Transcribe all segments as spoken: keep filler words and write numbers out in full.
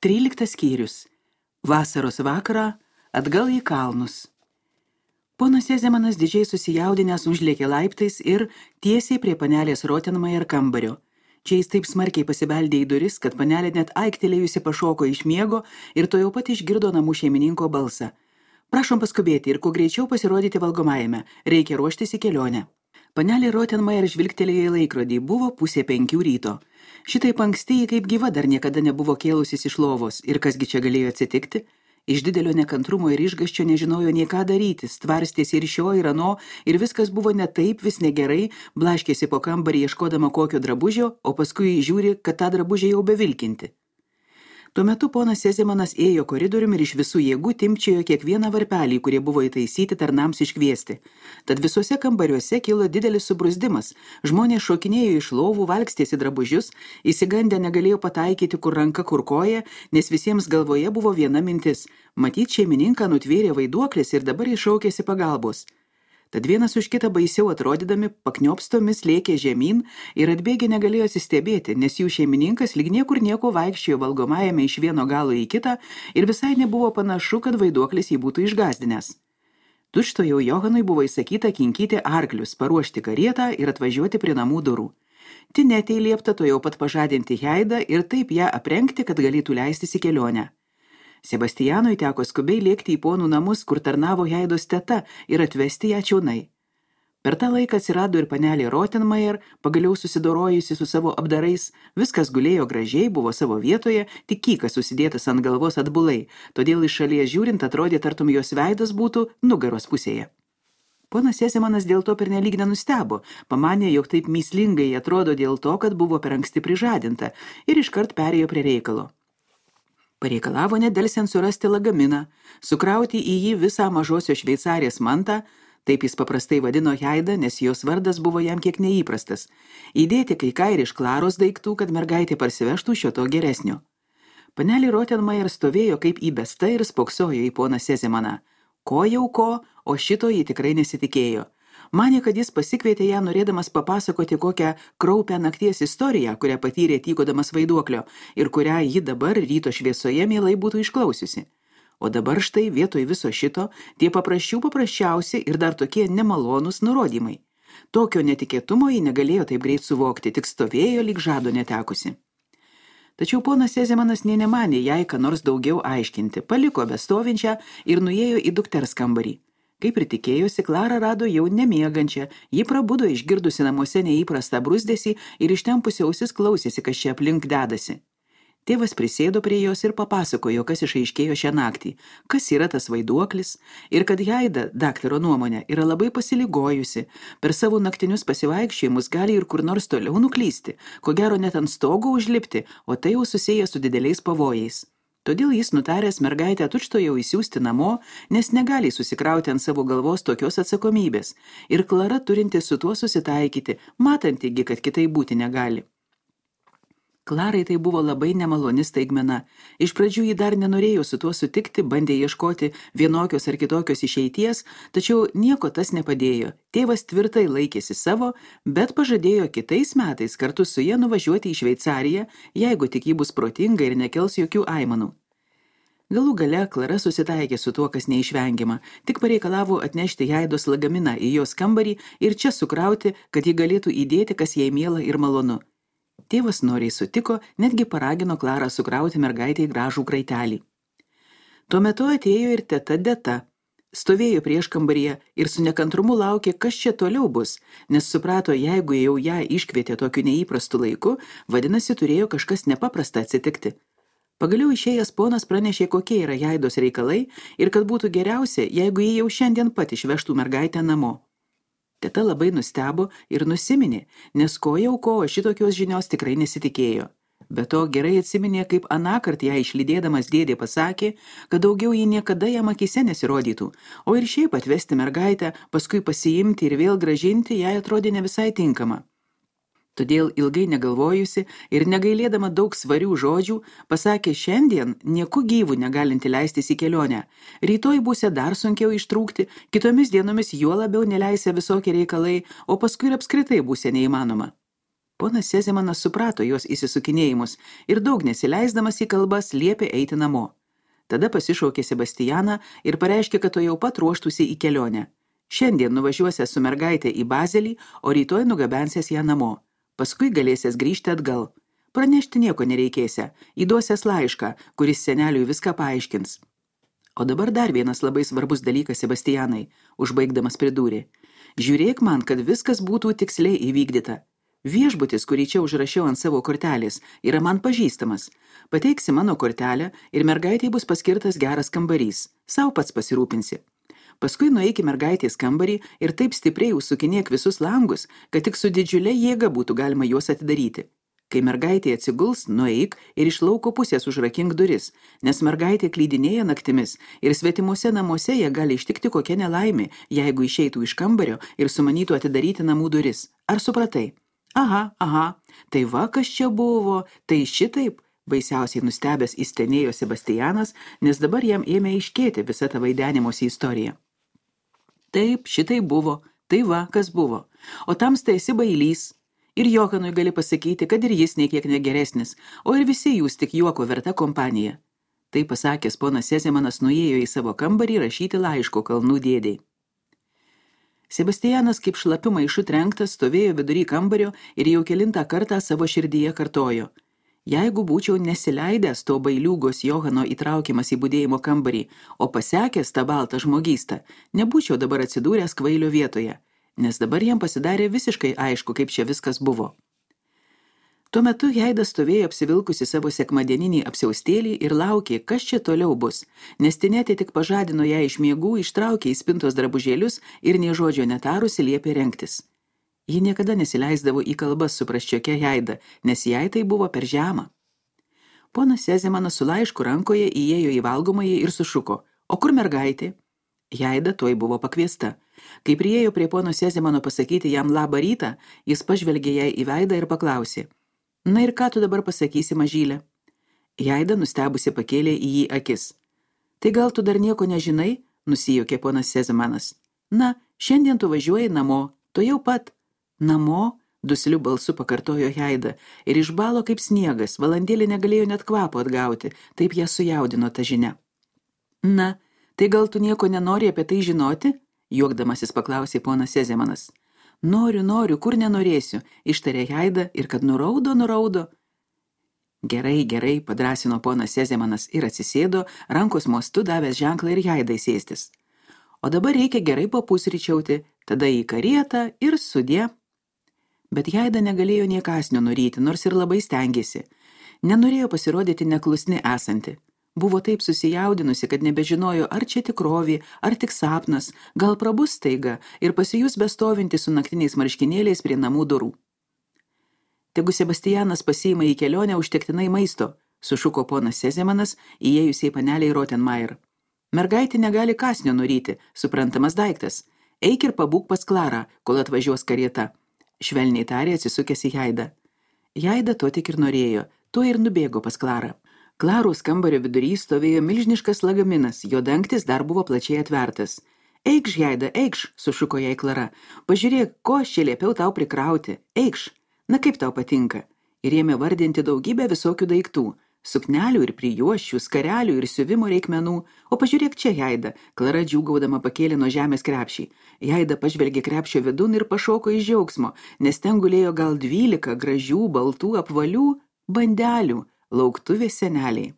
Tryliktas skyrius. Vasaros vakarą atgal į kalnus. Ponas Sezemanas didžiai susijaudinęs užlėkė laiptais ir tiesiai prie panelės Rottenmeier kambario. Čia jis taip smarkiai pasibeldė į duris, kad panelė net aiktelėjusi pašoko iš miego ir to jau pat išgirdo namų šeimininko balsą. Prašom paskubėti ir kuo greičiau pasirodyti valgomajame, reikia ruoštis į kelionę. Panelė Rottenmeier žvilgtelėjo į laikrodį, buvo pusė penkių ryto. Šitaip anksti, kaip gyva, dar niekada nebuvo kėlusis iš lovos, ir kasgi čia galėjo atsitikti? Iš didelio nekantrumo ir išgąsčio nežinojo nei ką daryti, stvarstėsi ir šio, ir ano, ir viskas buvo ne taip, vis negerai, blaškėsi po kambarį ieškodama kokio drabužio, o paskui žiūri, kad tą drabužį jau bevilkinti. Tuo metu ponas Sezemanas ėjo koridoriumi ir iš visų jėgų timpčiojo kiekvieną varpelį, kurie buvo įtaisyti tarnams iškviesti. Tad visuose kambariuose kilo didelis subruzdimas. Žmonės šokinėjo iš lovų, valkstėsi drabužius, įsigandę negalėjo pataikyti kur ranka, kur koja, nes visiems galvoje buvo viena mintis. Matyt, šeimininką nutvėrė vaiduoklis ir dabar iššaukėsi pagalbos. Tad vienas už kitą baisiau atrodydami pakniopstomis lėkė žemyn ir atbėgę negalėjo atsistebėti, nes jų šeimininkas lyg niekur nieko vaikščiojo valgomajame iš vieno galo į kitą ir visai nebuvo panašu, kad vaiduoklis jį būtų išgazdinęs. Tučtuojau Johanui buvo įsakyta kinkyti arklius, paruošti karietą ir atvažiuoti prie namų durų. Tinetei liepta to jau pat pažadinti Heidą ir taip ją aprengti, kad galėtų leistis į kelionę. Sebastianui teko skubiai lėkti į ponų namus, kur tarnavo Heidos teta, ir atvesti ją čiaunai. Per tą laiką atsirado ir panelė Rottenmeier, pagaliau susidorojusi su savo apdarais, viskas gulėjo gražiai, buvo savo vietoje, tik kykas susidėtas ant galvos atbulai, todėl iš šalies žiūrint atrodė, tartum jos veidas būtų nugaros pusėje. Ponas Sezemanas dėl to pernelyg nenustebo, pamanė, jog taip mįslingai atrodo dėl to, kad buvo per anksti prižadinta, ir iškart perėjo prie reikalo. Pareikalavo nedelsiant surasti lagaminą, sukrauti į jį visą mažosios šveicarės mantą, taip jis paprastai vadino Heidą, nes jos vardas buvo jam kiek neįprastas, įdėti kai ką ir iš Klaros daiktų, kad mergaitė parsivežtų šio to geresnio. Panelė Rottenmeier stovėjo kaip įbesta ir spoksojo į poną Sezemaną. Ko jau ko, o šito ji tikrai nesitikėjo. Manė, kad jis pasikvietė ją norėdamas papasakoti kokią kraupią nakties istoriją, kurią patyrė tykodamas vaiduoklio ir kurią ji dabar ryto šviesoje mielai būtų išklausiusi. O dabar štai vietoj viso šito tie paprasčių paprasčiausi ir dar tokie nemalonūs nurodymai. Tokio netikėtumo ji negalėjo taip greit suvokti, tik stovėjo lyg žado netekusi. Tačiau ponas Sezemanas nė nemanė jai ką nors daugiau aiškinti, paliko bestovinčią ir nuėjo į dukters kambarį. Kaip ir tikėjosi, Klara rado jau nemiegančią, ji prabudo išgirdusi namuose neįprastą bruzdesį ir ištempusi ausis klausėsi, kas čia aplink dedasi. Tėvas prisėdo prie jos ir papasakojo, kas išaiškėjo šią naktį, kas yra tas vaiduoklis ir kad Heida, daktaro nuomonė, yra labai pasiligojusi, per savo naktinius pasivaikščiojimus gali ir kur nors toliau nuklysti, ko gero net ant stogo užlipti, o tai jau susiję su dideliais pavojais. Todėl jis nutaręs mergaitę tučtuojau įsiųsti namo, nes negali susikrauti ant savo galvos tokios atsakomybės, ir Klara turinti su tuo susitaikyti, matantigi, kad kitai būti negali. Klarai tai buvo labai nemaloni staigmena. Iš pradžių ji dar nenorėjo su tuo sutikti, bandė ieškoti vienokios ar kitokios išeities, tačiau nieko tas nepadėjo. Tėvas tvirtai laikėsi savo, bet pažadėjo kitais metais kartu su ja nuvažiuoti į Šveicariją, jeigu tik ji bus protinga ir nekels jokių aimanų. Galų gale Klara susitaikė su tuo, kas neišvengiama, tik pareikalavo atnešti Heidos lagaminą į jos kambarį ir čia sukrauti, kad ji galėtų įdėti, kas jai miela ir malonu. Tėvas noriai sutiko, netgi paragino Klarą sukrauti mergaitę į gražų kraitelį. Tuo metu atėjo ir teta Deta. Stovėjo prieš kambaryje ir su nekantrumu laukė, kas čia toliau bus, nes suprato, jeigu jau ją iškvietė tokiu neįprastu laiku, vadinasi, turėjo kažkas nepaprasta atsitikti. Pagaliau išėjęs ponas pranešė, kokie yra Heidos reikalai ir kad būtų geriausia, jeigu jį jau šiandien pat išvežtų mergaitę namo. Teta labai nustebo ir nusiminė, nes ko jau ko, šitokios žinios tikrai nesitikėjo. Be to gerai atsiminė, kaip anąkart ją išlydėdamas dėdė pasakė, kad daugiau jį niekada jam akyse nesirodytų, o ir šiaip atvesti mergaitę, paskui pasiimti ir vėl gražinti, jai atrodė ne visai tinkama. Todėl ilgai negalvojusi ir negailėdama daug svarių žodžių, pasakė šiandien nieku gyvų negalinti leistis į kelionę. Rytoj būsė dar sunkiau ištrūkti, kitomis dienomis juo labiau neleisė visokie reikalai, o paskui ir apskritai būsė neįmanoma. Ponas Sezemanas suprato jos įsisukinėjimus ir daug nesileisdamas į kalbas liepė eiti namo. Tada pasišaukė Sebastianą ir pareiškė, kad to jau pat ruoštųsi į kelionę. Šiandien nuvažiuosią su mergaitė į Bazelį, o rytoj nugabensės ją namo. Paskui galėsės grįžti atgal. Pranešti nieko nereikėsia, įduosies laišką, kuris seneliui viską paaiškins. O dabar dar vienas labai svarbus dalykas, Sebastianai, užbaigdamas pridūrė. Žiūrėk man, kad viskas būtų tiksliai įvykdyta. Viešbutis, kurį čia užrašiau ant savo kortelės, yra man pažįstamas. Pateiksi mano kortelę ir mergaitei bus paskirtas geras kambarys. Sau pats pasirūpinsi. Paskui nueiki mergaitės kambarį ir taip stipriai užsukinėk visus langus, kad tik su didžiulė jėga būtų galima juos atidaryti. Kai mergaitė atsiguls, nueik ir iš lauko pusės užrakink duris, nes mergaitė klydinėja naktimis ir svetimuose namuose ją gali ištikti kokia nelaimė, jeigu išeitų iš kambario ir sumanytų atidaryti namų duris. Ar supratai? Aha, aha, tai va, kas čia buvo, tai šitaip, baisiausiai nustebęs įstenėjo Sebastianas, nes dabar jam ėmė aiškėti visa ta vaidenimosi istorija. Taip, šitai buvo, tai va, kas buvo, o tamsta esi bailys. Ir Johanui gali pasakyti, kad ir jis niekiek negeresnis, o ir visi jūs tik juoko verta kompanija. Tai pasakęs, ponas Sezemanas nuėjo į savo kambarį rašyti laiško kalnų dėdei. Sebastianas kaip šlapiu maišu trenktas stovėjo vidury kambario ir jau kelintą kartą savo širdyje kartojo. Jeigu būčiau nesileidęs to bailiūgos Johano įtraukiamas į budėjimo kambarį, o pasekęs tą baltą žmogystą, nebūčiau dabar atsidūręs kvailio vietoje, nes dabar jam pasidarė visiškai aišku, kaip čia viskas buvo. Tuo metu Heida stovėjo apsivilkusi savo sekmadieninį apsiaustėlį ir laukė, kas čia toliau bus, nes Tinetė tik pažadino ją iš miegų, ištraukė į spintos drabužėlius ir nė žodžio netarusi liepė rengtis. Ji niekada nesileisdavo į kalbas su prasčiokia Heida, nes jai tai buvo per žema. Ponas Sezemanas su laišku rankoje įėjo į valgomąjį ir sušuko, o kur mergaitė? Heida tuoj buvo pakviesta. Kai priėjo prie pono Sezemano pasakyti jam labą rytą, jis pažvelgė jai į veidą ir paklausė. Na ir ką tu dabar pasakysi, mažylė? Heida nustebusi pakėlė į jį akis. Tai gal tu dar nieko nežinai? Nusijuokė ponas Sezemanas. Na, šiandien tu važiuoji namo, tu jau pat. Namo? Dusliu balsu pakartojo Heida ir išbalo kaip sniegas, valandėlį negalėjo net kvapo atgauti, taip ją sujaudino ta žinia. Na, tai gal tu nieko nenori apie tai žinoti? Juokdamasis paklausė ponas Sezemanas. Noriu, noriu, kur nenorėsiu, ištarė Heida ir kad nuraudo, nuraudo. Gerai, gerai, padrąsino ponas Sezemanas ir atsisėdo, rankos mostu davęs ženklą ir Heidai sėstis. O dabar reikia gerai papusryčiauti, tada į karietą ir sudie. Bet Heida negalėjo nė kąsnio nuryti, nors ir labai stengėsi. Nenorėjo pasirodyti neklusni esanti. Buvo taip susijaudinusi, kad nebežinojo, ar čia tikrovė, ar tik sapnas, gal prabus staiga ir pasijus bestovinti su naktiniais marškinėliais prie namų durų. Tegu Sebastianas pasiima į kelionę užtektinai maisto, sušuko ponas Sezemanas, įėjusiai paneliai Rottenmeier. Mergaitė negali kąsnio nuryti, suprantamas daiktas. Eik ir pabūk pas Klarą, kol atvažiuos karieta. Švelniai tarė atsisukęs į Heidą. Heida to tik ir norėjo, tuo ir nubėgo pas Klarą. Klaros kambario vidury stovėjo milžiniškas lagaminas, jo dangtis dar buvo plačiai atvertas. Eikš, Heida, eikš, sušuko jai Klara. Pažiūrėk, ko aš čia liepiau tau prikrauti. Eikš, na kaip tau patinka. Ir ėmė vardinti daugybę visokių daiktų. Suknelių ir prijuosčių, skarelių ir siuvimo reikmenų. O pažiūrėk čia, Heida. Klara džiūgaudama pakėlė nuo žemės krepšį. Heida pažvelgė krepšio vidun ir pašoko iš džiaugsmo, nes ten gulėjo gal dvylika gražių, baltų, apvalių bandelių. Lauktuvės seneliai.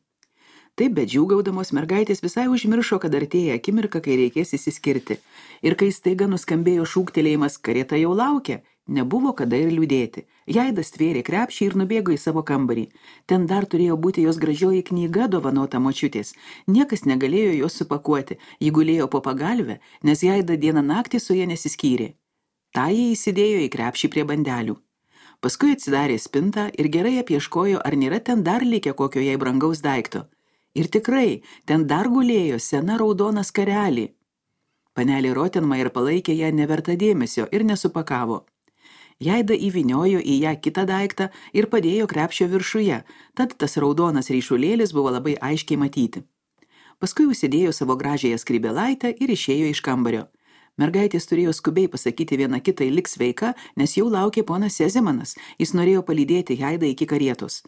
Taip, bet džiūgaudamos mergaitės visai užmiršo, kad artėja akimirka, kai reikės įsiskirti. Ir kai staiga nuskambėjo šūktelėjimas, karieta jau laukia, nebuvo kada ir liūdėti. Heida stvėrė krepšį ir nubėgo į savo kambarį. Ten dar turėjo būti jos gražioji knyga dovanota močiutės. Niekas negalėjo jos supakuoti, ji gulėjo po pagalvę, nes Heida dieną naktį su ja nesiskyrė. Ta jie įsidėjo į krepšį prie bandelių. Paskui atsidarė spintą ir gerai apieškojo, ar nėra ten dar likę kokio jai brangaus daikto. Ir tikrai, ten dar gulėjo sena raudona skarelė. Panelė Rottenmeier palaikė ją neverta dėmesio ir nesupakavo. Heida įviniojo į ją kitą daiktą ir padėjo krepšio viršuje, tad tas raudonas ryšulėlis buvo labai aiškiai matyti. Paskui užsidėjo savo gražiąją skrybėlaitę ir išėjo iš kambario. Mergaitės turėjo skubiai pasakyti viena kitai lik sveika, nes jau laukė ponas Sezemanas. Jis norėjo palydėti Haidą iki karietos.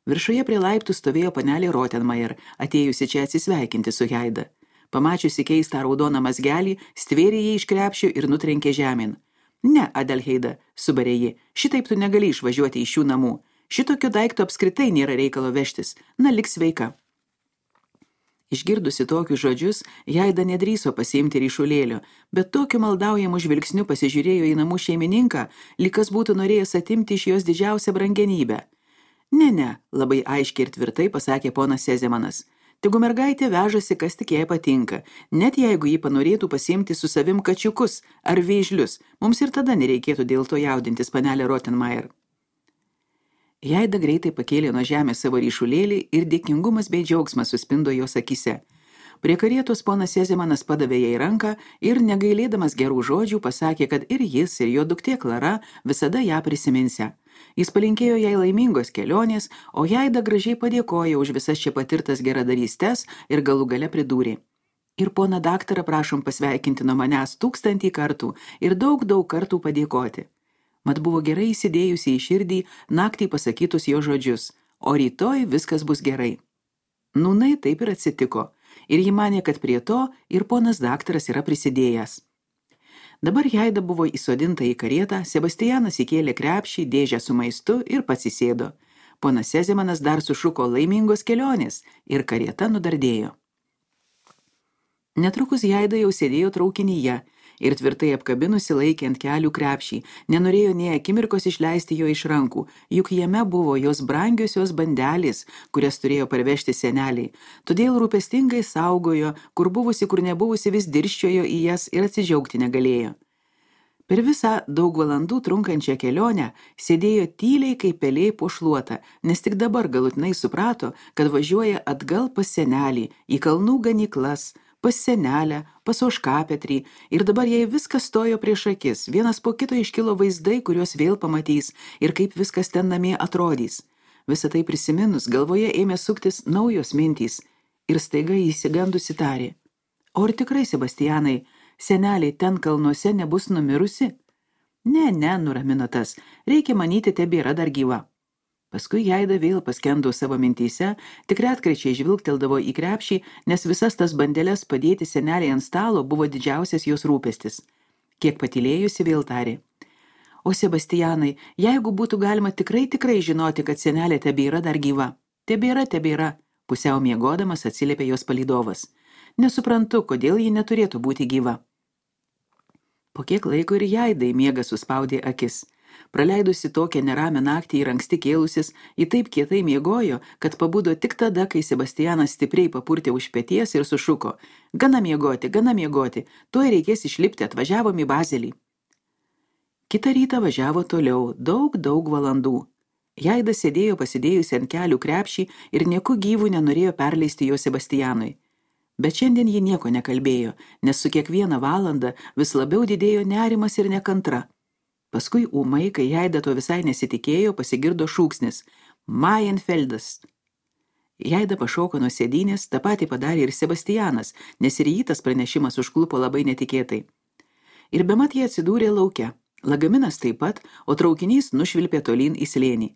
Viršuje prie laiptų stovėjo panelė Rottenmeier, atėjusi čia atsisveikinti su Haida. Pamačiusi keistą raudoną mazgelį, stvėrė jį iš krepšio ir nutrenkė žemėn. Ne, Adelheida, subarė ji, šitaip tu negali išvažiuoti iš šių namų. Šitokio daikto apskritai nėra reikalo vežtis. Na, lik sveika. Išgirdusi tokius žodžius, Haida nedrįso pasiimti ryšulėlio, bet tokiu maldaujamu žvilgsniu pasižiūrėjo į namų šeimininką, lyg kas būtų norėjęs atimti iš jos didžiausią brangenybę. Ne, ne, labai aiškiai ir tvirtai pasakė ponas Sezemanas. Tegu mergaitė vežasi, kas tik jai patinka, net jeigu ji panorėtų pasiimti su savim kačiukus ar vėžlius, mums ir tada nereikėtų dėl to jaudintis, panelė Rottenmeier. Haida greitai pakėlė nuo žemės savo ryšulėlį ir dėkingumas bei džiaugsmas suspindo jos akise. Prie karietos ponas Sezemanas padavė jai ranką ir, negailėdamas gerų žodžių, pasakė, kad ir jis, ir jo duktė Klara visada ją prisiminsia. Jis palinkėjo jai laimingos kelionės, o Haida gražiai padėkojo už visas čia patirtas geradarystės ir galų gale pridūrė. Ir poną daktarą prašom pasveikinti nuo manęs tūkstantį kartų ir daug, daug kartų padėkoti. Mat buvo gerai įsidėjusi į širdį naktį pasakytus jo žodžius, o rytoj viskas bus gerai. Nūnai taip ir atsitiko, ir ji manė, kad prie to ir ponas daktaras yra prisidėjęs. Dabar Haida buvo įsodinta į karietą, Sebastianas įkėlė krepšį, dėžę su maistu ir pats įsėdo. Ponas Sezemanas dar sušuko laimingos kelionės ir karieta nudardėjo. Netrukus Haida jau sėdėjo traukinyje ir tvirtai apkabinusi laikė ant kelių krepšį, nenorėjo nė akimirkos išleisti jo iš rankų, juk jame buvo jos brangiosios bandelės, kurias turėjo parvežti seneliai, todėl rūpestingai saugojo, kur buvusi, kur nebuvusi vis dirščiojo į jas ir atsidžiaugti negalėjo. Per visą daug valandų trunkančią kelionę sėdėjo tyliai kaip pelė po šluotą, nes tik dabar galutinai suprato, kad važiuoja atgal pas senelį, į kalnų ganyklas, pas senelę, pas Ožkapetrį, ir dabar jai viskas stojo prieš akis, vienas po kito iškilo vaizdai, kuriuos vėl pamatys ir kaip viskas ten namie atrodys. Visą tai prisiminus, galvoje ėmė suktis naujos mintys ir staiga įsigandusi tarė. O ar tikrai, Sebastianai, seneliai ten kalnuose nebus numirusi? Ne, ne, nuramino tas, reikia manyti, tebėra dar gyva. Paskui Haida vėl paskendo savo mintyse, tik retkrečiai žvilgteldavo į krepšį, nes visas tas bandeles padėti seneliai ant stalo buvo didžiausias jos rūpestis. Kiek patylėjusi vėl tarė. O Sebastianai, jeigu būtų galima tikrai tikrai žinoti, kad senelė tebėra dar gyva. Tebėra, tebėra, pusiau miegodamas atsiliepė jos palydovas. Nesuprantu, kodėl ji neturėtų būti gyva. Po kiek laiko ir Haidai miegas suspaudė akis. Praleidusi tokią neramę naktį ir anksti kėlusis, ji taip kietai miegojo, kad pabudo tik tada, kai Sebastianas stipriai papurtė už peties ir sušuko. Gana miegoti, gana miegoti, tuoj reikės išlipti, atvažiavom į Bazelį. Kitą rytą važiavo toliau, daug, daug valandų. Haida sėdėjo pasidėjusi ant kelių krepšį ir nieku gyvų nenorėjo perleisti jo Sebastianui. Bet šiandien ji nieko nekalbėjo, nes su kiekviena valanda vis labiau didėjo nerimas ir nekantra. Paskui ūmai, kai Haida to visai nesitikėjo, pasigirdo šūksnis – Mayenfeldas. Haida pašoko nuo sėdynės, tą patį padarė ir Sebastianas, nes ir jį tas pranešimas užklupo labai netikėtai. Ir bemat jie atsidūrė lauke. Lagaminas taip pat, o traukinys nušvilpė tolyn į slėnį.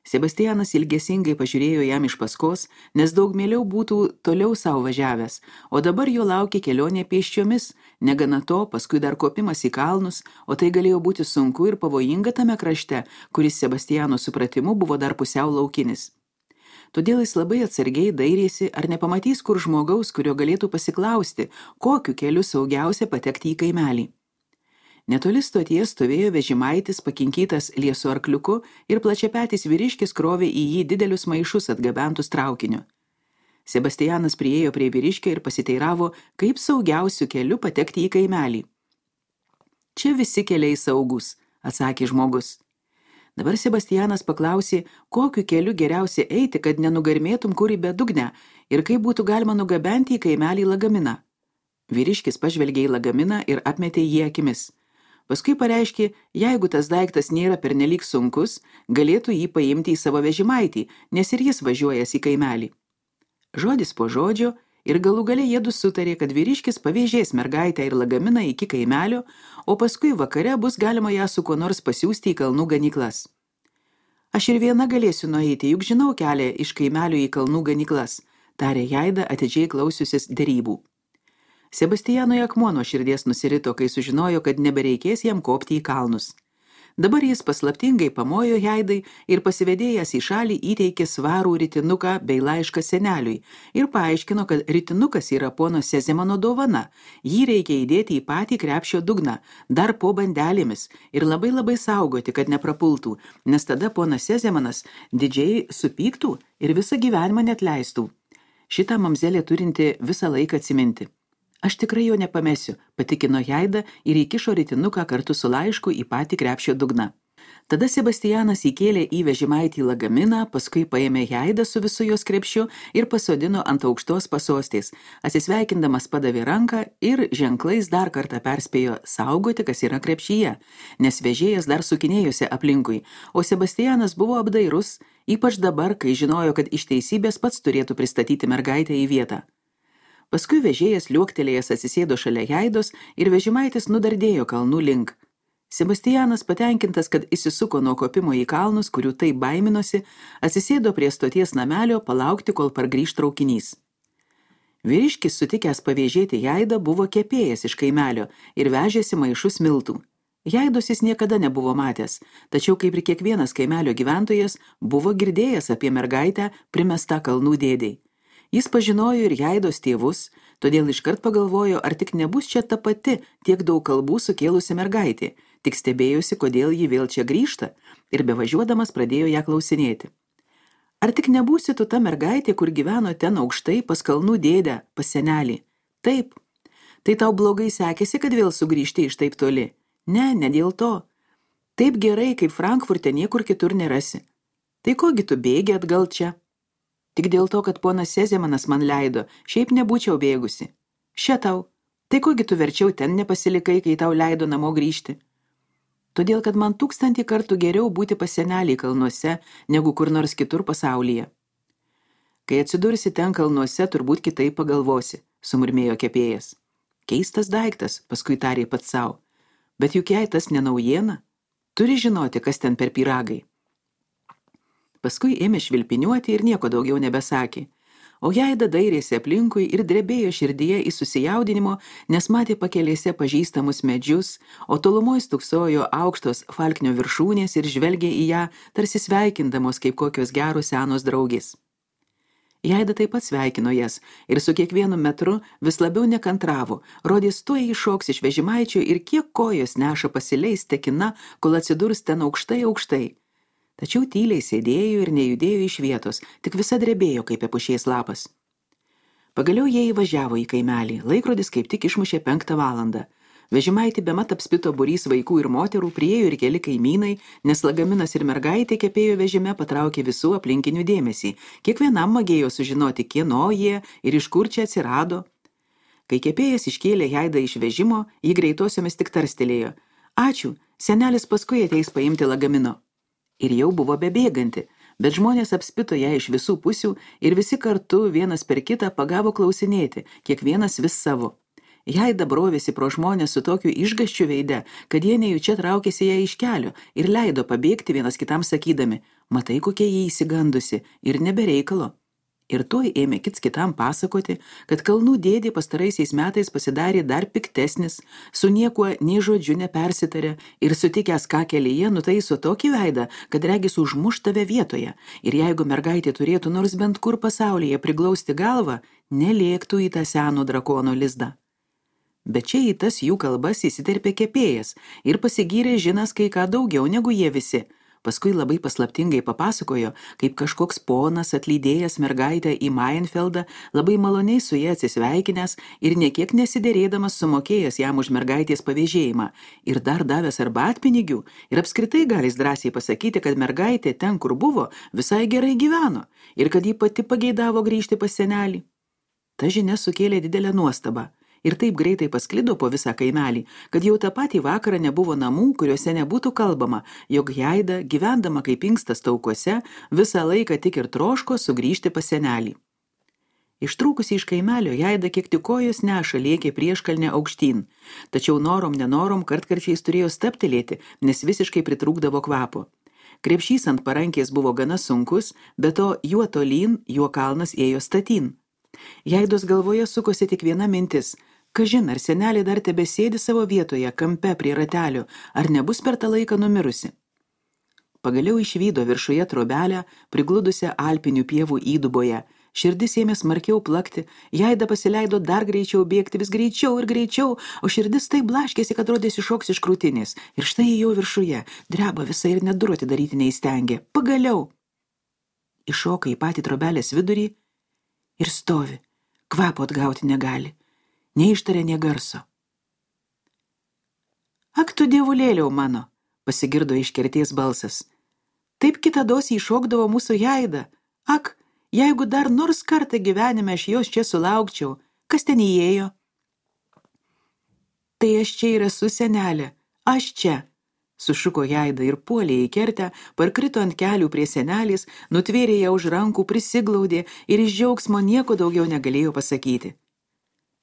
Sebastianas ilgesingai pažiūrėjo jam iš paskos, nes daug mieliau būtų toliau savo važiavęs, o dabar jo laukė kelionė pėsčiomis, negana to, paskui dar kopimas į kalnus, o tai galėjo būti sunku ir pavojinga tame krašte, kuris Sebastiano supratimu buvo dar pusiau laukinis. Todėl jis labai atsargiai dairėsi, ar nepamatys kur žmogaus, kurio galėtų pasiklausti, kokiu keliu saugiausia patekti į kaimelį. Netoli stoties stovėjo vežimaitis pakinkytas liesu arkliuku ir plačiapetis vyriškis krovė į jį didelius maišus atgabentus traukiniu. Sebastianas priėjo prie vyriškio ir pasiteiravo, kaip saugiausiu keliu patekti į kaimelį. Čia visi keliai saugus, atsakė žmogus. Dabar Sebastianas paklausė, kokiu keliu geriausia eiti, kad nenugarmėtum kur į bedugnę ir kaip būtų galima nugabenti į kaimelį lagaminą. Vyriškis pažvelgė į lagaminą ir apmetė jį akimis. Paskui pareiškė, jeigu tas daiktas nėra pernelyg sunkus, galėtų jį paimti į savo vežimaitį, nes ir jis važiuojas į kaimelį. Žodis po žodžio ir galų gale jiedu sutarė, kad vyriškis pavėžės mergaitę ir lagaminą iki kaimelio, o paskui vakare bus galima ją su kuo nors pasiųsti į kalnų ganyklas. Aš ir viena galėsiu nueiti, juk žinau kelią iš kaimelio į kalnų ganyklas, tarė Jaida atidžiai klausiusis derybų. Sebastianui akmuo nuo širdies nusirito, kai sužinojo, kad nebereikės jam kopti į kalnus. Dabar jis paslaptingai pamojo Jaidai ir pasivedėjęs į šalį įteikė svarų ritinuką bei laišką seneliui ir paaiškino, kad ritinukas yra pono Sezemano dovana. Jį reikia įdėti į patį krepšio dugną, dar po bandelėmis ir labai labai saugoti, kad neprapultų, nes tada ponas Sezemanas didžiai supyktų ir visą gyvenimą neatleistų. Šitą mamzelė turinti visą laiką atsiminti. Aš tikrai jo nepamesiu, patikino Jaida ir įkišo ritinuką kartu su laišku į patį krepšio dugną. Tada Sebastianas įkėlė į vežimaitį lagaminą, paskui paėmė Jaidą su visu jos krepšiu ir pasodino ant aukštos pasostės. Atsisveikindamas padavė ranką ir ženklais dar kartą perspėjo saugoti, kas yra krepšyje, nes vežėjas dar sukinėjosi aplinkui, o Sebastianas buvo apdairus, ypač dabar, kai žinojo, kad iš teisybės pats turėtų pristatyti mergaitę į vietą. Paskui vežėjas liuoktelėjęs atsisėdo šalia Jaidos ir vežimaitis nudardėjo kalnų link. Sebastianas, patenkintas, kad įsisuko nuo kopimo į kalnus, kurių taip baiminosi, atsisėdo prie stoties namelio palaukti, kol pargrįš traukinys. Vyriškis, sutikęs pavėžėti Jaidą, buvo kepėjas iš kaimelio ir vežėsi maišus miltų. Jaidos jis niekada nebuvo matęs, tačiau kaip ir kiekvienas kaimelio gyventojas buvo girdėjęs apie mergaitę primestą kalnų dėdei. Jis pažinojo ir Jaidos tėvus, todėl iškart pagalvojo, ar tik nebus čia ta pati tiek daug kalbų sukėlusi mergaitė, tik stebėjosi, kodėl ji vėl čia grįžta, ir bevažiuodamas pradėjo ją klausinėti. Ar tik nebūsi tu ta mergaitė, kur gyveno ten aukštai pas kalnų dėdę, pas senelį? Taip. Tai tau blogai sekėsi, kad vėl sugrįžti iš taip toli? Ne, ne dėl to. Taip gerai, kaip Frankfurte niekur kitur nerasi. Tai kogi tu bėgi atgal čia? Tik dėl to, kad ponas Sezemanas man leido, šiaip nebūčiau bėgusi. Še tau, tai kogi tu verčiau ten nepasilikai, kai tau leido namo grįžti? Todėl, kad man tūkstantį kartų geriau būti pas senelį kalnuose, negu kur nors kitur pasaulyje. Kai atsidursi ten kalnuose, turbūt kitaip pagalvosi, sumurmėjo kepėjas. Keistas daiktas, paskui tarė pats sau. Bet juk jei tas ne naujiena, turi žinoti, kas ten per pyragai. Paskui ėmė švilpiniuoti ir nieko daugiau nebesakė. O Jaida dairėsi aplinkui ir drebėjo širdyje į susijaudinimo, nes matė pakelėse pažįstamus medžius, o tolumoj stuksojo aukštos falknio viršūnės ir žvelgė į ją, tarsi sveikindamos kaip kokios geros senos draugės. Jaida taip pat sveikino jas ir su kiekvienu metru vis labiau nekantravo, rodės tuoj iššoks iš vežimaičio ir kiek kojos neša pasileis tekina, kol atsidurs ten aukštai aukštai. Tačiau tyliai sėdėjo ir nejudėjo iš vietos, tik visa drebėjo kaip epušies lapas. Pagaliau jie įvažiavo į kaimelį, laikrodis kaip tik išmušė penktą valandą. Vežimaitį bemat apspito būrys vaikų ir moterų, priėjo ir keli kaimynai, nes lagaminas ir mergaitė kepėjo vežime patraukė visų aplinkinių dėmesį. Kiekvienam magėjo sužinoti, kieno jie ir iš kur čia atsirado. Kai kepėjas iškėlė Jaidą iš vežimo, ji greitosiomis tik tarstelėjo. Ačiū, senelis paskui ateis paimti lagamino. Ir jau buvo bebėganti, bet žmonės apspito ją iš visų pusių ir visi kartu vienas per kitą pagavo klausinėti, kiekvienas vis savo. Jaida brovėsi pro žmonės su tokiu išgąsčiu veide, kad jie nejučia traukėsi ją iš kelio ir leido pabėgti vienas kitam sakydami, matai, kokia jį įsigandusi ir nebereikalo. Ir tuoj ėmė kits kitam pasakoti, kad kalnų dėdė pastaraisiais metais pasidarė dar piktesnis, su niekuo nei žodžiu nepersitarė ir sutikęs ką kelyje nutaiso tokį veidą, kad regis užmuš tave vietoje. Ir jeigu mergaitė turėtų nors bent kur pasaulyje priglausti galvą, nelėktų į tą seno drakono lizdą. Bet čia į tas jų kalbas įsiterpė kepėjas ir pasigyrė žinas kai ką daugiau negu jie visi. Paskui labai paslaptingai papasakojo, kaip kažkoks ponas atlydėjęs mergaitę į Mainfeldą, labai maloniai su jie atsisveikinęs ir niekiek nesiderėdamas sumokėjęs jam už mergaitės pavėžėjimą ir dar davęs arbatpinigių ir apskritai galis drąsiai pasakyti, kad mergaitė ten, kur buvo, visai gerai gyveno ir kad ji pati pageidavo grįžti pas senelį. Ta žinia sukėlė didelę nuostabą. Ir taip greitai pasklido po visą kaimelį, kad jau tą patį vakarą nebuvo namų, kuriuose nebūtų kalbama, jog Jaida, gyvendama kaip inkstas taukuose, visą laiką tik ir troško sugrįžti pas senelį. Ištrūkusi iš kaimelio, Jaida kiek tik kojos neša lėkė prieškalnę aukštyn, tačiau norom nenorom kartkarčiais turėjo staptelėti, nes visiškai pritrūkdavo kvapo. Krepšys ant parankės buvo gana sunkus, bet to juo tolyn, juo kalnas ėjo statyn. Jaidos galvoje sukosi tik viena mintis. Kažin, ar senelė dar tebesėdi savo vietoje, kampe prie ratelio, ar nebus per tą laiką numirusi. Pagaliau išvydo viršuje trobelę, prigludusią alpinių pievų įduboje. Širdis ėmė smarkiau plakti, Jaida pasileido dar greičiau bėgti, vis greičiau ir greičiau, o širdis taip blaškėsi, kad rodėsi šoks iš krūtinės. Ir štai jau viršuje, dreba visai ir net durų atidaryti neįstengė. Pagaliau! Iššoka į patį trobelės vidurį ir stovi, kvapo atgauti negali, neištarė nė garso. Ak tu dievulėliau mano, pasigirdo iš kerties balsas. Taip kitados įšokdavo mūsų Jaida. Ak, jeigu dar nors kartą gyvenime aš jos čia sulaukčiau, kas ten įėjo? Tai aš čia ir esu, senelė, aš čia, sušuko Jaida ir puolė į kertę, parkrito ant kelių prie senelės, nutvėrė ją už rankų, prisiglaudė ir iš džiaugsmo nieko daugiau negalėjo pasakyti.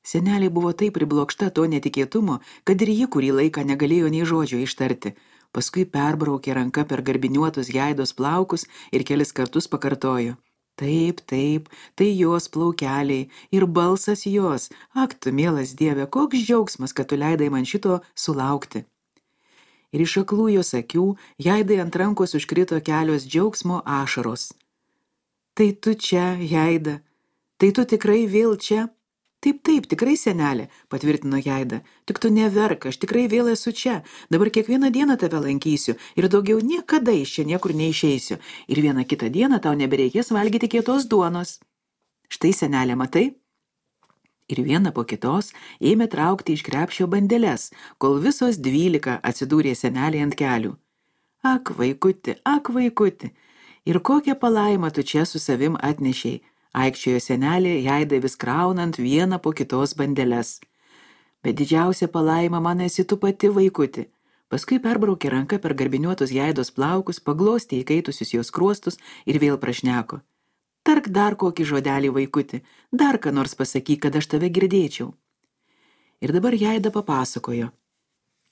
Senelė buvo taip priblokšta to netikėtumo, kad ir ji kurį laiką negalėjo nei žodžio ištarti. Paskui perbraukė ranka per garbiniuotus Jaidos plaukus ir kelis kartus pakartojo. Taip, taip, tai jos plaukeliai ir balsas jos. Ak, tu mielas Dieve, koks džiaugsmas, kad tu leidai man šito sulaukti. Ir iš aklų jos akių Jaidai ant rankos užkrito kelios džiaugsmo ašaros. Tai tu čia, Jaida, tai tu tikrai vėl čia? Taip, taip, tikrai senelė, patvirtino Jaida. Tik tu neverk, aš tikrai vėl esu čia. Dabar kiekvieną dieną tave lankysiu ir daugiau niekada iš čia niekur neišeisiu. Ir vieną kitą dieną tau nebereikės valgyti kietos duonos. Štai, senelė, matai? Ir vieną po kitos ėmė traukti iš krepšio bandeles, kol visos dvylika atsidūrė senelė ant kelių. Ak, vaikuti, ak, vaikuti, ir kokią palaimą tu čia su savim atnešiai. Aikčiojo senelė, Jaidai vis kraunant vieną po kitos bandeles. Bet didžiausia palaima man esi tu pati, vaikuti. Paskui perbraukė ranką per garbiniuotus Jaidos plaukus, paglostė įkaitusius jos kruostus ir vėl prašneko. Tark dar kokį žodelį, vaikuti, dar ką nors pasakyk, kad aš tave girdėčiau. Ir dabar Jaida papasakojo.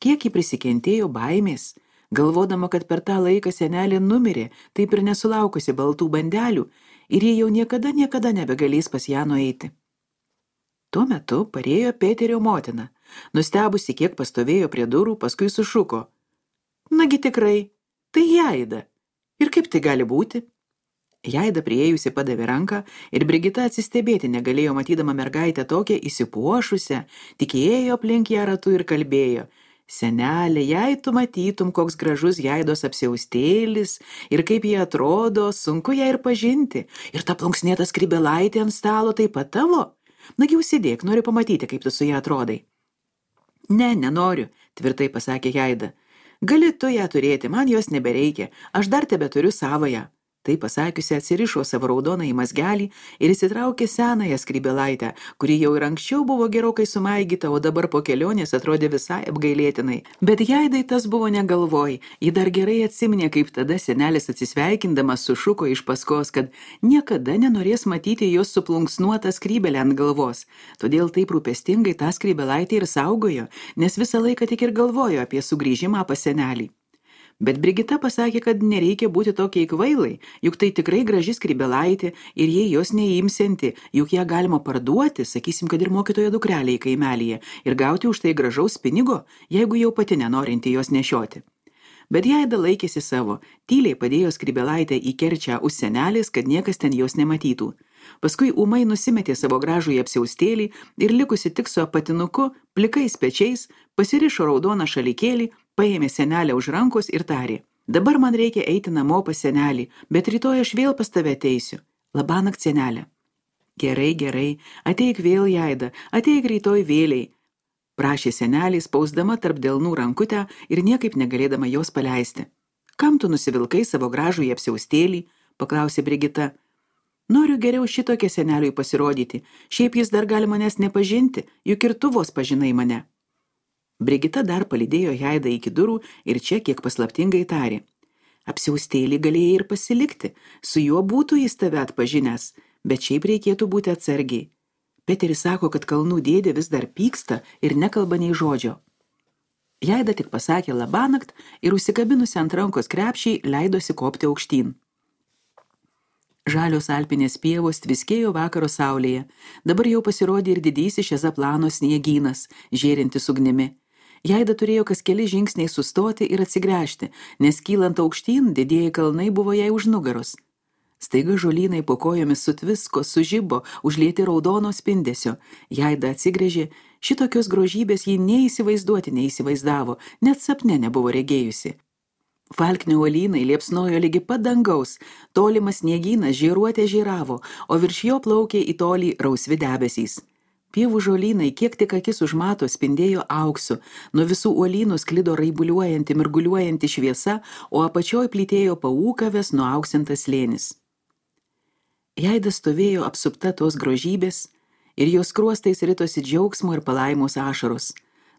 Kiek ji prisikentėjo baimės, galvodama, kad per tą laiką senelė numirė, taip ir nesulaukusi baltų bandelių, ir jie jau niekada, niekada nebegalės pas ją nueiti. Tuo metu parėjo Peterio motina, nustebusi, kiek pastovėjo prie durų, paskui sušuko. Nagi tikrai, tai Jaida. Ir kaip tai gali būti? Jaida priėjusi padavė ranką ir Brigita atsistebėti negalėjo matydama mergaitę tokią įsipuošusią, tik ėjo aplink ją ratu ir kalbėjo. Senelė, jei tu matytum, koks gražus Jaidos apsiaustėlis ir kaip jie atrodo, sunku ją ir pažinti. Ir ta plunksnėta skrybėlaitė ant stalo taip pat tavo? Nagi užsidėk, noriu pamatyti, kaip tu su ją atrodai. Ne, nenoriu, tvirtai pasakė Jaida. Gali tu ją turėti, man jos nebereikia, aš dar tebe turiu savąją. Tai pasakiusi atsirišo savo raudoną į mazgelį ir įsitraukė senąją skrybėlaitę, kuri jau ir anksčiau buvo gerokai sumaigyta, o dabar po kelionės atrodė visai apgailėtinai. Bet Jaidai tas buvo negalvoj, ji dar gerai atsiminė, kaip tada senelis atsisveikindamas sušuko iš paskos, kad niekada nenorės matyti jos suplunksnuotą skrybelę ant galvos. Todėl taip rūpestingai tą skrybėlaitę ir saugojo, nes visą laiką tik ir galvojo apie sugrįžimą pas senelį. Bet Brigita pasakė, kad nereikia būti tokiai kvailai, juk tai tikrai graži skrybėlaitė ir jei jos neimsianti, juk ją galima parduoti, sakysim, kad ir mokytojo dukrelė į kaimelyje, ir gauti už tai gražaus pinigo, jeigu jau pati nenorinti jos nešioti. Bet Jaida laikėsi savo, tyliai padėjo skrybėlaitę į kerčią už senelės, kad niekas ten jos nematytų. Paskui ūmai nusimetė savo gražų į apsiaustėlį ir likusi tik su apatinuku, plikais pečiais, pasirišo raudoną šalikėlį, paėmė senelę už rankos ir tarė. Dabar man reikia eiti namo pas senelį, bet rytoj aš vėl pas tave ateisiu. Labanakt, senelė. Gerai, gerai, ateik vėl, Jaida, ateik rytoj vėliai, prašė senelė, spausdama tarp delnų rankutę ir niekaip negalėdama jos paleisti. Kam tu nusivilkai savo gražų į apsiaustėlį, paklausė Brigita. Noriu geriau šitokią seneliui pasirodyti, šiaip jis dar gali manęs nepažinti, juk ir tu vos pažinai mane. Brigita dar palydėjo Jaidą iki durų ir čia kiek paslaptingai tarė. Apsiaustėlį galėjai ir pasilikti, su juo būtų jis tave atpažinęs, bet šiaip reikėtų būti atsargiai. Peteris sako, kad kalnų dėdė vis dar pyksta ir nekalba nei žodžio. Jaida tik pasakė labanakt ir užsikabinusi ant rankos krepšiai leidosi kopti aukštyn. Žalios alpinės pievos tviskėjo vakaro saulėje, dabar jau pasirodė ir didysis Šezaplano sniegynas, žėrintis ugnimi. Jaida turėjo kas keli žingsniai sustoti ir atsigręžti, nes kylant aukštyn didieji kalnai buvo jai už nugaros. Staiga žolynai po kojomis sutvisko, sužibo, užlieti raudono spindesio. Jaida atsigrėžė, šitokios grožybės ji neįsivaizduoti neįsivaizdavo, net sapne nebuvo regėjusi. Falknio uolynai liepsnojo lygi pat dangaus, tolimas sniegynas žėruotė žėravo, o virš jo plaukė į tolį rausvi debesys. Pievų žolynai, kiek tik akis užmato, spindėjo auksu, nuo visų uolynų sklido raibuliuojanti, mirguliuojanti šviesa, o apačioj plytėjo paūkavęs nuauksintas slėnis. Jaida stovėjo apsupta tos grožybės ir jos skruostais ritosi džiaugsmo ir palaimos ašaros.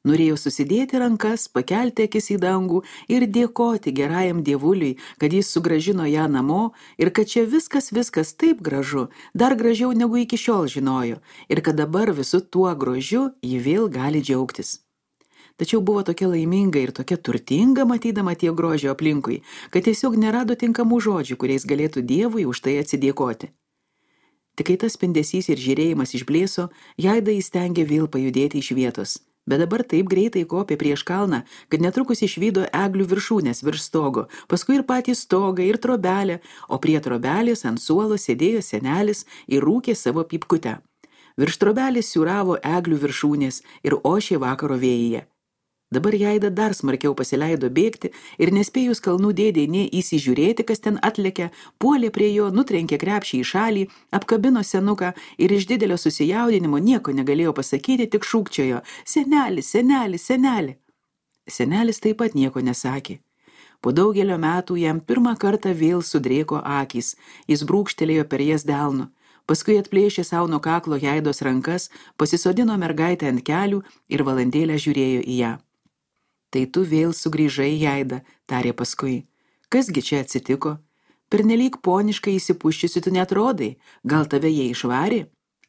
Norėjo susidėti rankas, pakelti akis į dangų ir dėkoti gerajam dievuliui, kad jis sugrąžino ją namo ir kad čia viskas viskas taip gražu, dar gražiau negu iki šiol žinojo ir kad dabar visu tuo grožiu ji vėl gali džiaugtis. Tačiau buvo tokia laiminga ir tokia turtinga matydama tiek grožio aplinkui, kad tiesiog nerado tinkamų žodžių, kuriais galėtų dievui už tai atsidėkoti. Tik kai tas spindesys ir žiūrėjimas išblėso, Jaida įstengė vėl pajudėti iš vietos. Bet dabar taip greitai kopė prieš kalną, kad netrukus išvydo eglių viršūnės virš stogo, paskui ir patį stogą, ir trobelę, o prie trobelės ant suolo sėdėjo senelis ir rūkė savo pypkutę. Virš trobelės siūravo eglių viršūnės ir ošė vakaro vėjyje. Dabar Jaida dar smarkiau pasileido bėgti ir nespėjus kalnų dėdei nė įsižiūrėti, kas ten atlekia, puolė prie jo, nutrenkė krepšį į šalį, apkabino senuką ir iš didelio susijaudinimo nieko negalėjo pasakyti, tik šūkčiojo: seneli, seneli, seneli. Senelis taip pat nieko nesakė. Po daugelio metų jam pirmą kartą vėl sudrėko akys, jis brūkštelėjo per jas delnu. Paskui atplėšė sau nuo kaklo Jaidos rankas, pasisodino mergaitę ant kelių ir valandėlę žiūrėjo į ją. Tai tu vėl sugrįžai, Jaida, tarė paskui. Kasgi čia atsitiko? Pernelyg poniškai įsipuščiusi tu netrodai, gal tave jie išvarė?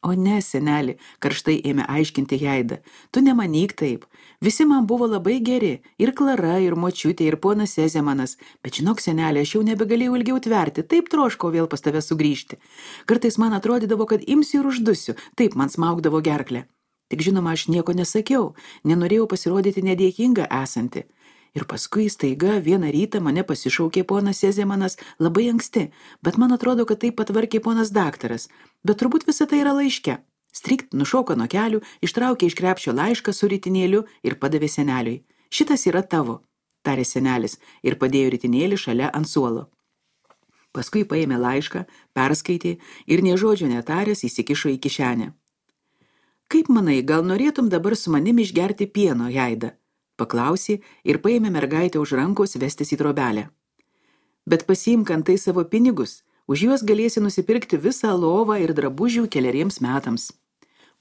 O ne, seneli, karštai ėmė aiškinti Jaida, tu nemanyk taip. Visi man buvo labai geri, ir Klara, ir močiutė, ir ponas Sezemanas, bet žinok, seneli, aš jau nebegalėjau ilgiau tverti, taip troškau vėl pas tave sugrįžti. Kartais man atrodydavo, kad imsiu ir uždusiu, taip man smaugdavo gerklę. Tik žinoma, aš nieko nesakiau, nenorėjau pasirodyti nedėkinga esanti. Ir paskui staiga vieną rytą mane pasišaukė ponas Sezemanas labai anksti, bet man atrodo, kad taip patvarkė ponas daktaras, bet turbūt visa tai yra laiške. Strikt nušoko nuo kelių, ištraukė iš krepšio laišką su ritinėliu ir padavė seneliui. Šitas yra tavo, tarė senelis ir padėjo ritinėlį šalia ant suolo. Paskui paėmė laišką, perskaitė ir nė žodžio netaręs įsikišo į kišenę. Kaip manai, gal norėtum dabar su manim išgerti pieno, Jaida? Paklausė ir paėmė mergaitę už rankos vestis į trobelę. Bet pasiimk antai savo pinigus, už juos galėsi nusipirkti visą lovą ir drabužių keleriems metams.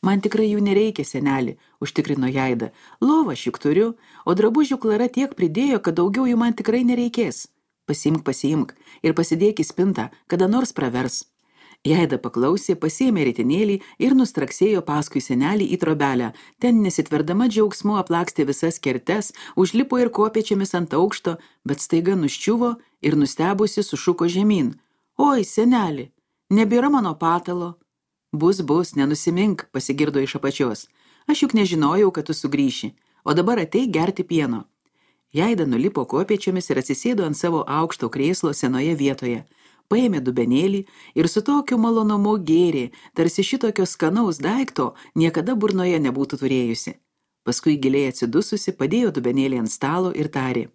Man tikrai jų nereikia, seneli, užtikrino Jaida. Lovą šiuk turiu, o drabužių Klara tiek pridėjo, kad daugiau jų man tikrai nereikės. Pasiimk, pasiimk ir pasidėk į spintą, kada nors pravers. Jaida paklausė, pasiėmė ritinėlį ir nustraksėjo paskui senelį į trobelę. Ten nesitverdama džiaugsmu aplakstė visas kertes, užlipo ir kopėčiamis ant aukšto, bet staiga nuščiuvo ir nustebusi sušuko žemyn. Oi, seneli, nebėra mano patalo. Bus, bus, nenusimink, pasigirdo iš apačios. Aš juk nežinojau, kad tu sugrįši, o dabar ateik gerti pieno. Jaida nulipo kopėčiomis ir atsisėdo ant savo aukšto krėslo senoje vietoje. Paėmė dubenėlį ir su tokiu malonumu gėrė, tarsi šitokio skanaus daikto niekada burnoje nebūtų turėjusi. Paskui giliai atsidususi padėjo dubenėlį ant stalo ir tarė.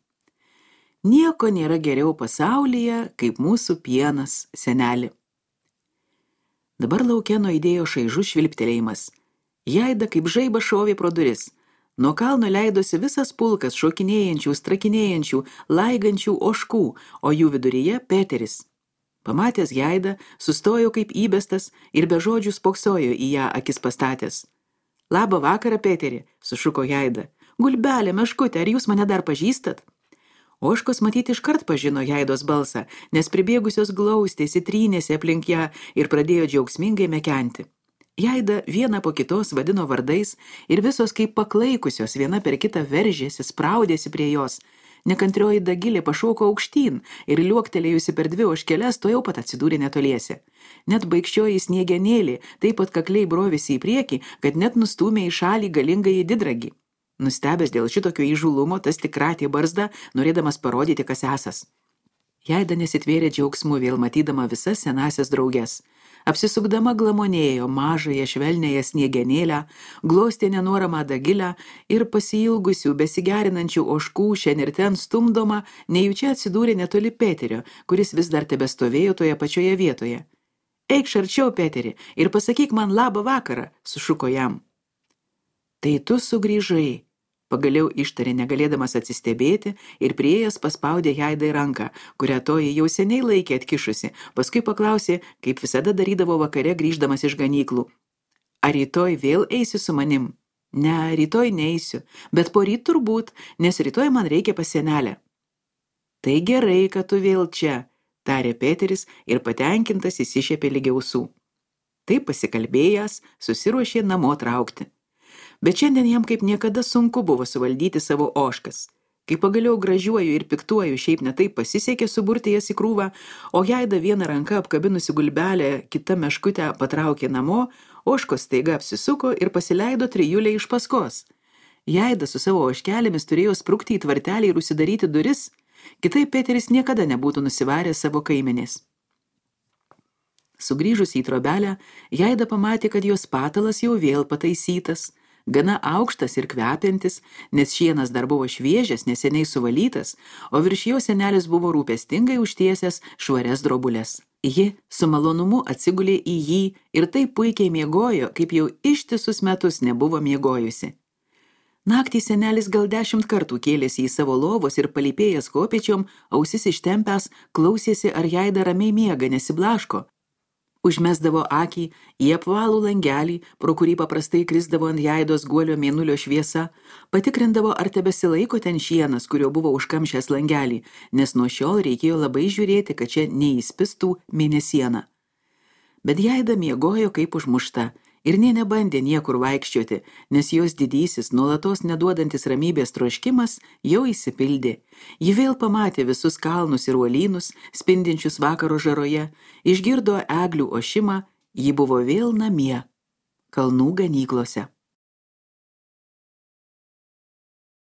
Nieko nėra geriau pasaulyje, kaip mūsų pienas, seneli. Dabar lauke nuaidėjo šaižus švilptelėjimas. Jaida kaip žaiba šovė pro duris. Nuo kalno leidosi visas pulkas šokinėjančių, strakinėjančių, laigančių ožkų, o jų viduryje Peteris. Pamatęs Jaidą, sustojo kaip įbestas ir be žodžių spoksojo į ją akis pastatęs. Labą vakarą, Peteri, sušuko Jaida. Gulbelė, meškutė, ar jūs mane dar pažįstat? Ožkos matyti iškart pažino Jaidos balsą, nes pribėgusios glaustėsi, trynėsi aplink ją ir pradėjo džiaugsmingai mekenti. Jaida vieną po kitos vadino vardais ir visos kaip paklaikusios viena per kitą veržėsi, spraudėsi prie jos. Nekantrioji Dagilė pašoko aukštyn ir liuoktelėjusi per dvi ožkeles to jau pat atsidūrė netoliese. Net baikščioji Sniegenėlė taip atkakliai brovėsi į priekį, kad net nustūmė į šalį galingąjį Didragį. Nustebęs dėl šitokio įžulumo, tas tik kratė barzdą, norėdamas parodyti, kas esas. Jaida nesitvėrė džiaugsmu vėl matydama visas senasias drauges. Apsisukdama glamonėjo mažąją švelniąją Sniegenėlę, glostė nenoramą Dagilę ir pasiilgusių, besigerinančių ožkų šiandien ir ten stumdoma, nejučia atsidūrė netoli Peterio, kuris vis dar tebestovėjo toje pačioje vietoje. Eikš arčiau, Peteri, ir pasakyk man labą vakarą, sušuko jam. Tai tu sugrįžai, pagaliau ištarė negalėdamas atsistebėti ir priėjęs paspaudė Jaidai ranką, kurią toji jau seniai laikė atkišusi, paskui paklausė, kaip visada darydavo vakare grįždamas iš ganyklų. Ar rytoj vėl eisi su manim? Ne, rytoj neisiu, bet poryt turbūt, nes rytoj man reikia pas senelę. Tai gerai, kad tu vėl čia, tarė Peteris ir patenkintas įsišiepė lyg ausų. Taip pasikalbėjęs, susiruošė namo traukti. Bet šiandien jam kaip niekada sunku buvo suvaldyti savo ožkas. Kai pagaliau gražiuoju ir piktuoju šiaip netaip pasisekė suburti jas į krūvą, o Jaida vieną ranką apkabinusi gulbelę, kitą meškutę patraukė namo, ožkos staiga apsisuko ir pasileido trijulė iš paskos. Jaida su savo ožkelėmis turėjo sprukti į tvartelį ir užsidaryti duris, kitaip Peteris niekada nebūtų nusivaręs savo kaimenės. Sugrįžus į trobelę, Jaida pamatė, kad jos patalas jau vėl pataisytas, gana aukštas ir kvepiantis, nes šienas dar buvo šviežias, neseniai suvalytas, o virš jo senelis buvo rūpestingai užtiesęs švarias drobulės. Ji su malonumu atsigulė į jį ir taip puikiai miegojo, kaip jau ištisus metus nebuvo miegojusi. Naktį senelis gal dešimt kartų kėlėsi į savo lovos ir palypėjęs kopėčiom, ausis ištempęs, klausėsi, ar Jaida ramiai miega, nesiblaško. Užmesdavo akį į apvalų langelį, pro kurį paprastai krisdavo ant Jaidos guolio mėnulio šviesa, patikrindavo, ar tebesilaiko ten šienas, kurio buvo užkamšęs langelį, nes nuo šiol reikėjo labai žiūrėti, kad čia neįspistų mėnesiena. Bet Jaida miegojo kaip užmušta ir nė nebandė niekur vaikščioti, nes jos didysis, nuolatos neduodantis ramybės troškimas jau įsipildė. Ji vėl pamatė visus kalnus ir uolynus, spindinčius vakaro žaroje, išgirdo eglių ošimą, ji buvo vėl namie, kalnų ganyklose.